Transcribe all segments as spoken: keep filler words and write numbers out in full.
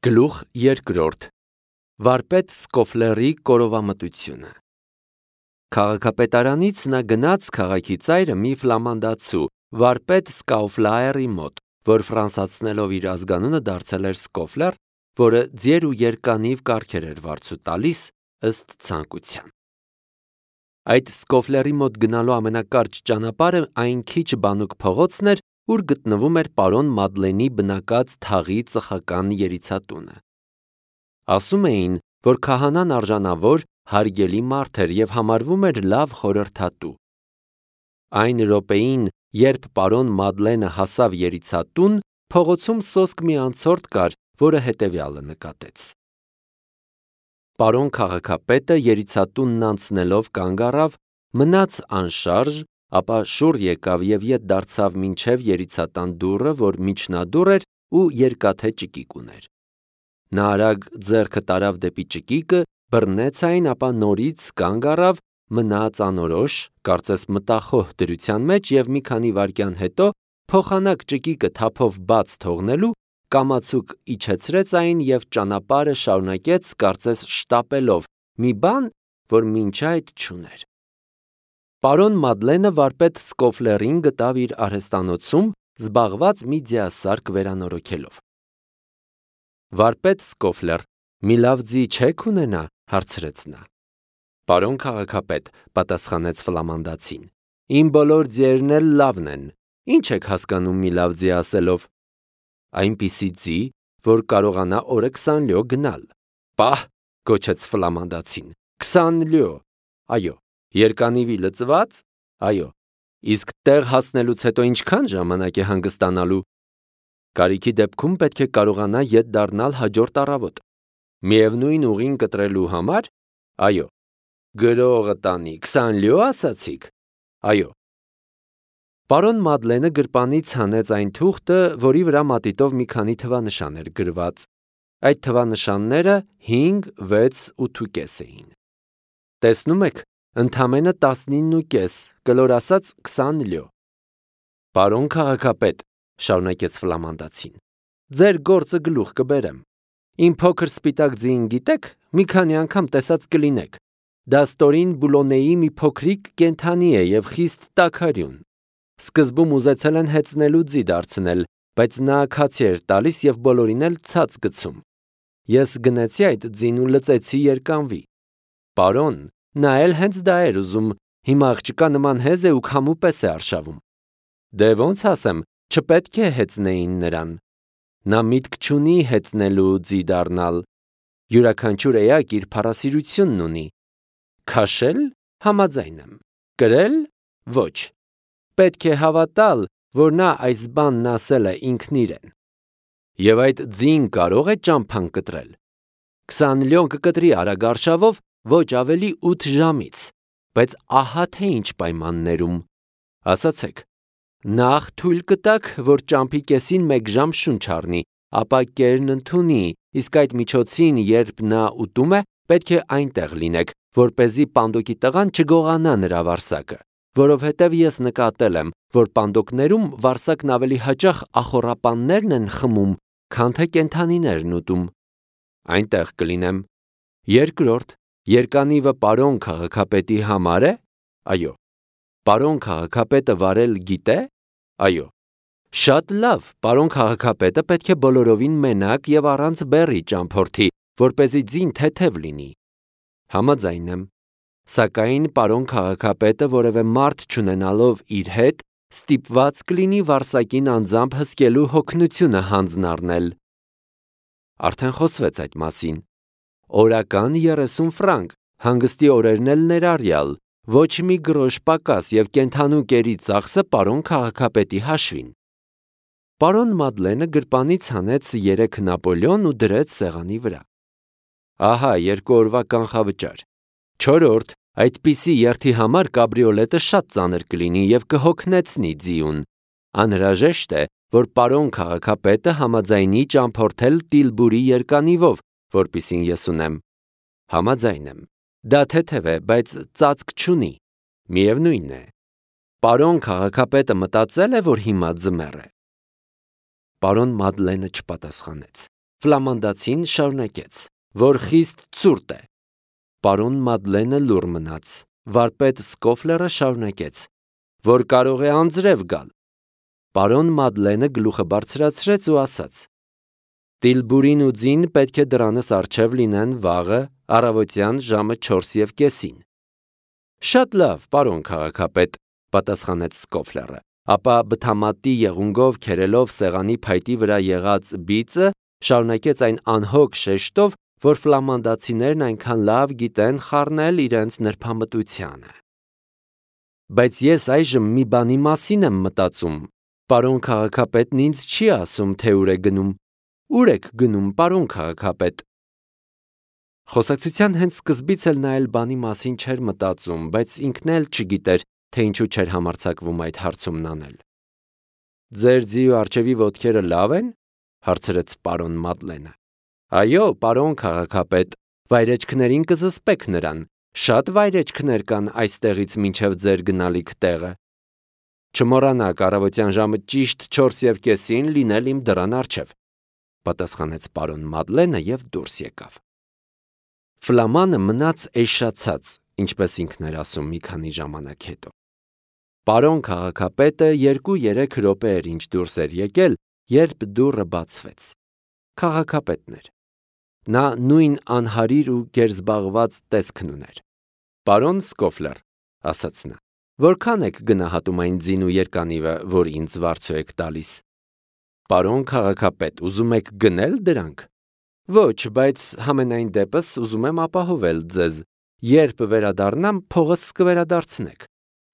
Գլուխ երկրորդ. Վարպետ Սկոֆլերի կորովամտությունը։ Քաղաքապետարանից նա գնաց քաղաքի ծայրը մի ֆլամանդացու, վարպետ Սկաուֆլաերի մոտ, որ ֆրանսացնելով իր ազգանունը դարձել էր Սկոֆլեր, որը ձիեր ու երկանիվ կարգեր էր վարձու տալիս ըստ ցանկության։ Այդ Սկոֆլերի մոտ գնալու ամենակարճ ճանապարհը այն քիչ բանուկ փողոցն էր, ուր գտնվում էր պարոն Մադլենի բնակած թաղի ծխական երիցատունը։ Ասում էին, որ քահանան արժանավոր, հարգելի մարդ էր և համարվում էր լավ խորհրդատու։ Այն րոպեին, երբ պարոն Մադլենը հասավ երիցատուն, փողոցում սոսկ մի անցորդ կար, որը հետևյալը նկատեց. Պարոն քաղաքապետը երիցատունն անցնելով կանգ առավ, մնաց անշարժ, ապա շուռ եկավ և ետ դարձավ մինչև երիցատան դուռը, որ միջնադուռ էր ու երկաթե ճկիկ ուներ։ Նա արագ ձեռքը տարավ դեպի ճկիկը, բռնեց այն, ապա նորից կանգ առավ, մնաց անորոշ, կարծես մտախոհ դրության մեջ և մի քանի վայրկյան հետո, փոխանակ ճկիկը թափով բաց թողնելու, կամացուկ իջեցրեց այն և ճանապարհը շարունակեց, կարծես շտապելով, մի բան, որ մինչ այդ չուներ։ Պարոն Մադլենը վարպետ Սկոֆլերին գտավ իր արհեստանոցում, զբաղված մի ձիասարք վերանորոգելով։ Վարպետ Սկոֆլեր, մի լավ ձի չե՞ք ունենա, հարցրեց նա։ Պարոն քաղաքապետ, պատասխանեց ֆլամանդացին, իմ բոլոր ձիերն էլ լավն են, ինչ եք հասկանում մի լավ ձի ասելով։ Այնպիսի ձի, որ կարողանա օրը քսան լյո գնալ։ Պահ, գոչեց ֆլամանդացին, քսան լյո, այո, երկանիվի լծված, այո, իսկ տեղ հասնելուց հետո ինչքան ժամանակ է հանգստանալու։ Կարիքի դեպքում պետք է կարողանա ետ դառնալ հաջորդ առավոտ։ Միևնույն ուղին կտրելու համար, այո, գրողը տանի, քսան լյո ասացիք, այո։ Պարոն Մադլենը գրպանից հանեց այն թուղթը, որի վրա մատիտով մի քանի թվանշան էր գրված։ Այդ թվանշանները հինգ, վեց, ութ էին։ Տեսնում եք, ընդամենը տասնինն ու կես, կլոր ասած քսան լյո։ Պարոն քաղաքապետ, շարունակեց ֆլամանդացին, ձեր գործը գլուխ կբերեմ։ Իմ փոքր սպիտակ ձիին գիտեք, մի քանի անգամ տեսած կլինեք։ Դա ստորին Բուլոնեի մի փոքրիկ կենդանի է և խիստ տաքարյուն։ Սկզբում ուզեցել են հեծնելու ձի դարձնել, բայց նա քացի էր տալիս և բոլորին էլ ցած գցում։ Ես գնեցի այդ ձին ու լծեցի երկանվի։ Պարոն, նա էլ հենց դա էր ուզում, հիմա աղջկա նման հեզ է ու քամու պես է արշավում։ Դե ոնց ասեմ, չպետք է հեծնեին նրան։ Նա միտք չունի հեծնելու ձի դառնալ։ Յուրաքանչյուր էակ իր փառասիրությունն ունի։ Քաշել, համաձայն եմ, կրել, ոչ։ Պետք է հավատալ, որ նա այս բանն ասել է ինքն իրեն։ Եվ այդ ձին կարող է ճամփան կտրել։ Քսան լյոն կկտրի արագ արշավով, ոչ ավելի ութ ժամից, բայց ահա թե ինչ պայմաններում։ Ասացեք, նախ թույլ կտաք, որ ճամփի կեսին մեկ ժամ շունչ առնի, ապա կերն ընդունի, իսկ այդ միջոցին, երբ նա ուտում է, պետք է այնտեղ լինեք, որպեսզի պանդոկի տղան չգողանա նրա վարսակը, որովհետև ես նկատել եմ, որ պանդոկներում վարսակն ավելի հաճախ ախոռապաններն են խմում, քան թե կենդանիներն ուտում։ Այնտեղ կլինեմ։ Երկրորդ, երկանիվը պարոն քաղաքապետի համար է։ Այո։ Պարոն քաղաքապետը վարել գիտե։ Այո։ Շատ լավ, պարոն քաղաքապետը պետք է բոլորովին մենակ և առանց բեռի ճամփորդի, որպեսզի ձին թեթև լինի։ Համաձայն եմ։ Սակայն պարոն քաղաքապետը որևէ մարդ չունենալով իր հետ, ստիպված կլինի վարսակին անձամբ հսկելու հոգնությունը հանձն առնել։ Արդեն խոսվեց այդ մասին։ Օրական երեսուն ֆրանկ, հանգստի օրերն էլ ներառյալ, ոչ մի գրոշ պակաս և կենդանու կերի ծախսը պարոն քաղաքապետի հաշվին։ Պարոն Մադլենը գրպանից հանեց երեք նապոլեոն ու դրեց սեղանի վրա։ Ահա երկու օրվա կանխավճար։ Չորրորդ, այդպիսի երթի համար կաբրիոլետը շատ ծանր կլինի և կհոգնեցնի ձիուն։ Անհրաժեշտ է, որ պարոն քաղաքապետը համաձայնի ճամփորդել Տիլբուրի երկանիվով, որպիսին ես ունեմ։ Համաձայն եմ։ Դա թեթև է, բայց ծածկ չունի։ Միևնույն է։ Պարոն քաղաքապետը մտածել է, որ հիմա ձմեռ է։ Պարոն Մադլենը չպատասխանեց։ Ֆլամանդացին շարունակեց, որ խիստ ցուրտ է։ Պարոն Մադլենը լուռ մնաց։ Վարպետ Սկոֆլերը շարունակեց, որ կարող է անձրև գալ։ Պարոն Մադլենը գլուխը բարձրացրեց ու ասաց. Տիլբուրին ու ձին պետք է դրանս առջև լինեն վաղը առավոտյան ժամը չորս և կեսին։ Շատ լավ, պարոն քաղաքապետ, պատասխանեց Սկոֆլերը, ապա բթամատի եղունգով քերելով սեղանի փայտի վրա եղած բիծը, շարունակեց այն անհոգ շեշտով, որ ֆլամանդացիներն այնքան լավ գիտեն խառնել իրենց նրբամտությանը։ Բայց ես այժմ մի բանի մասին եմ մտածում։ Պարոն քաղաքապետն ինձ չի ասում, թե ուր է գնում։ Ուր եք գնում, պարոն քաղաքապետ։ Խոսակցության հենց սկզբից էլ նա էլ բանի մասին չէր մտածում, բայց ինքն էլ չգիտեր, թե ինչու չէր համարձակվում այդ հարցումն անել։ Ձեր ձի ու արջևի ոտքերը լավ են, հարցրեց պարոն Մադլենը։ Այո, պարոն քաղաքապետ, վայրեջքներին կզսպեք նրան։ Շատ վայրեջքներ կան այստեղից մինչև ձեր գնալիք տեղը։ Չմոռանաք առավոտյան ժամը ճիշտ չորս և կեսին լինել իմ դռան առջև, պատասխանեց պարոն Մադլենը և դուրս եկավ։ Ֆլամանը մնաց էշացած, ինչպես ինքն էր ասում մի քանի ժամանակ հետո։ Պարոն քաղաքապետը երկու-երեք րոպե էր ինչ դուրս էր եկել, երբ դուռը բացվեց։ Քաղաքապետն էր։ Նա նույն անհարիր ու գերզբաղված տեսքն ուներ։ Պարոն Սկոֆլեր, ասաց նա, որքան եք գնահատում այն ձին ու երկանիվը, որ ինձ վարձու եք տալիս։ Պարոն քաղաքապետ, ուզում եք գնել դրանք։ Ոչ, բայց համենայն դեպս ուզում եմ ապահովել ձեզ, երբ վերադառնամ, փողս կվերադարձնեք։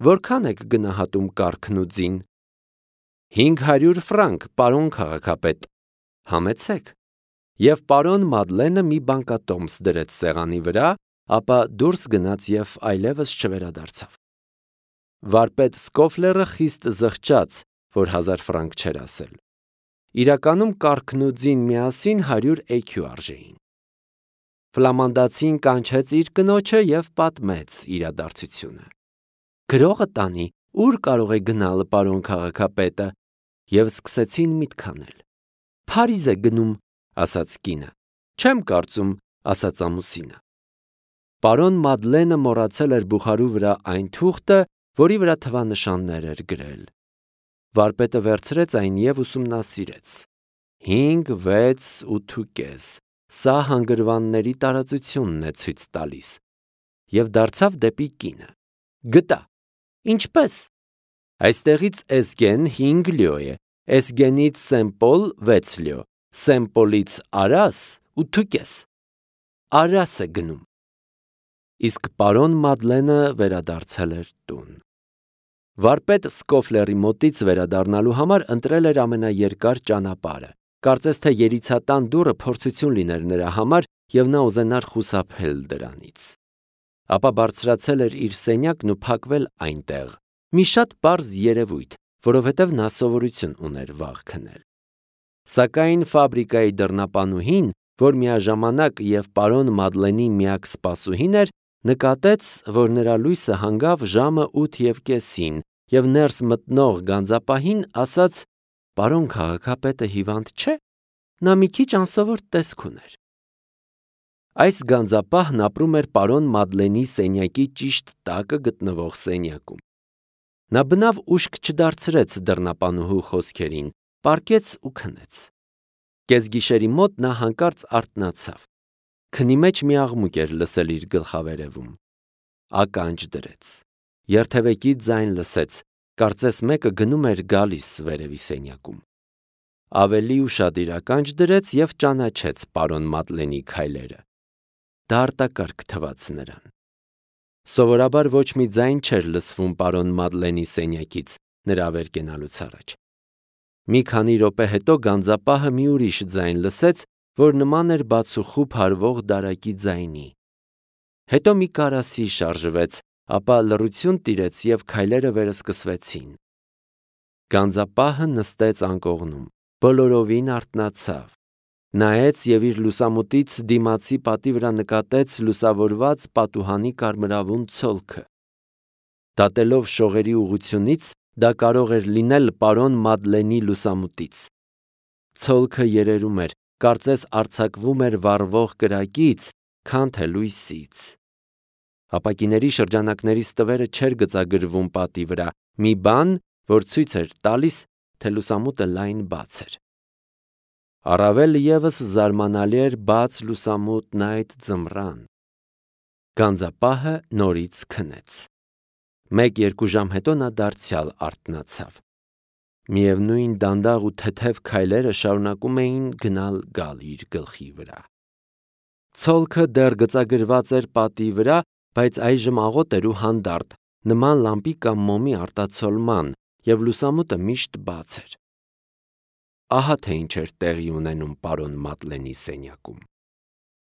Որքան եք գնահատում կառքն ու ձին։ Հինգ հարյուր ֆրանկ, պարոն քաղաքապետ։ Համեցեք։ Եվ պարոն Մադլենը մի բանկատոմս դրեց սեղանի վրա, ապա դուրս գնաց և այլևս չվերադարձավ։ Վարպետ Սկոֆլերը խիստ զղջաց, որ հազար ֆրանկ չէր ասել։ Իրականում կառքն ու ձին միասին հարյուր էքյու արժեին։ Ֆլամանդացին կանչեց իր կնոջը և պատմեց իրադարձությունը։ Գրողը տանի, ուր կարող է գնալ պարոն քաղաքապետը, և սկսեցին միտք անել։ Փարիզ է գնում, ասաց կինը։ Չեմ կարծում, ասաց ամուսինը։ Պարոն Մադլենը մոռացել էր բուխարու վրա այն թուղթը, որի վրա թվանշաններ էր գրել։ Վարպետը վերցրեց այն և ուսումնասիրեց։ Հինգ, վեց, ութ ու կես, սա հանգրվանների տարածությունն է ցույց տալիս։ Եվ դարձավ դեպի կինը։ Գտա։ Ինչպես։ Այստեղից Էսգեն հինգ լյո է, Էսգենից Սեմպոլ վեց լյո, Սեմպոլից Արաս ութ ու կես։ Արաս է գնում։ Իսկ պարոն Մադլենը վերադարձել էր տուն։ Վարպետ Սկոֆլերի մոտից վերադառնալու համար ընտրել էր ամենաերկար ճանապարհը։ Կարծես թե երիցատան դուռը փորձություն լիներ նրա համար, և նա ուզենար խուսափել դրանից։ Ապա բարձրացել էր իր սենյակն ու փակվել այնտեղ։ Մի շատ պարզ երևույթ, որովհետև նա սովորություն ուներ վաղ քնել։ Սակայն ֆաբրիկայի դռնապանուհին, որ միաժամանակ և պարոն Մադլենի միակ սպասուհին էր, նկատեց, որ նրա լույսը հանգավ ժամը ութ և կեսին, և ներս մտնող գանձապահին ասաց. Պարոն քաղաքապետը հիվանդ չէ, նա մի քիչ անսովոր տեսք ուներ։ Այս գանձապահն ապրում էր պարոն Մադլենի սենյակի ճիշտ տակը գտնվող սենյակում։ Նա բնավ ուշք չդարձրեց դռնապանուհու խոսքերին, պառկեց ու քնեց։ Կեսգիշերի մոտ նա հանկարծ արթնացավ։ Քնի մեջ մի աղմուկ էր լսել իր գլխավերևում։ Ականջ դրեց։ Երթևեկի ձայն լսեց, կարծես մեկը գնում էր գալիս վերևի սենյակում։ Ավելի ուշադիր ականջ դրեց և ճանաչեց պարոն Մադլենի քայլերը։ Դա արտակարգ թվաց նրան։ Սովորաբար ոչ մի ձայն չէր լսվում պարոն Մադլենի սենյակից նրա վեր կենալուց առաջ։ Մի քանի րոպե հետո գանձապահը մի ուրիշ ձայն լսեց, որ նման էր բացուխուփ հարվող դարակի ձայնի։ Հետո մի կարասի շարժվեց, ապա լռություն տիրեց և քայլերը վերսկսվեցին։ Գանձապահը նստեց անկողնում, բոլորովին արթնացավ, նայեց և իր լուսամուտից դիմացի պատի վրա նկատեց լուսավորված պատուհանի կարմրավուն ցոլքը։ Դատելով շողերի ուղղությունից, դա կարող էր լինել պարոն Մադլենի լուսամուտից։ Ցոլքը երերում էր, կարծես արձակվում էր վառվող կրակից, քան թե լույսից։ Ապակիների շրջանակների ստվերը չէր գծագրվում պատի վրա, մի բան, որ ցույց էր տալիս, թե լուսամուտը լայն բաց էր։ Առավել ևս զարմանալի էր բաց լուսամուտն այդ ձմռան։ Գանձապահը նորից քնեց։ Մեկ-երկու ժամ հետո նա դարձյալ արթնացավ։ Միևնույն դանդաղ ու թեթև քայլերը շարունակում էին գնալ-գալ իր գլխի վրա։ Ցոլքը դեռ գծագրված էր պատի վրա, բայց այժմ աղոտ էր ու հանդարտ, նման լամպի կամ մոմի արտացոլման, և լուսամուտը միշտ բաց էր։ Ահա թե ինչ էր տեղի ունենում պարոն Մատլենի սենյակում։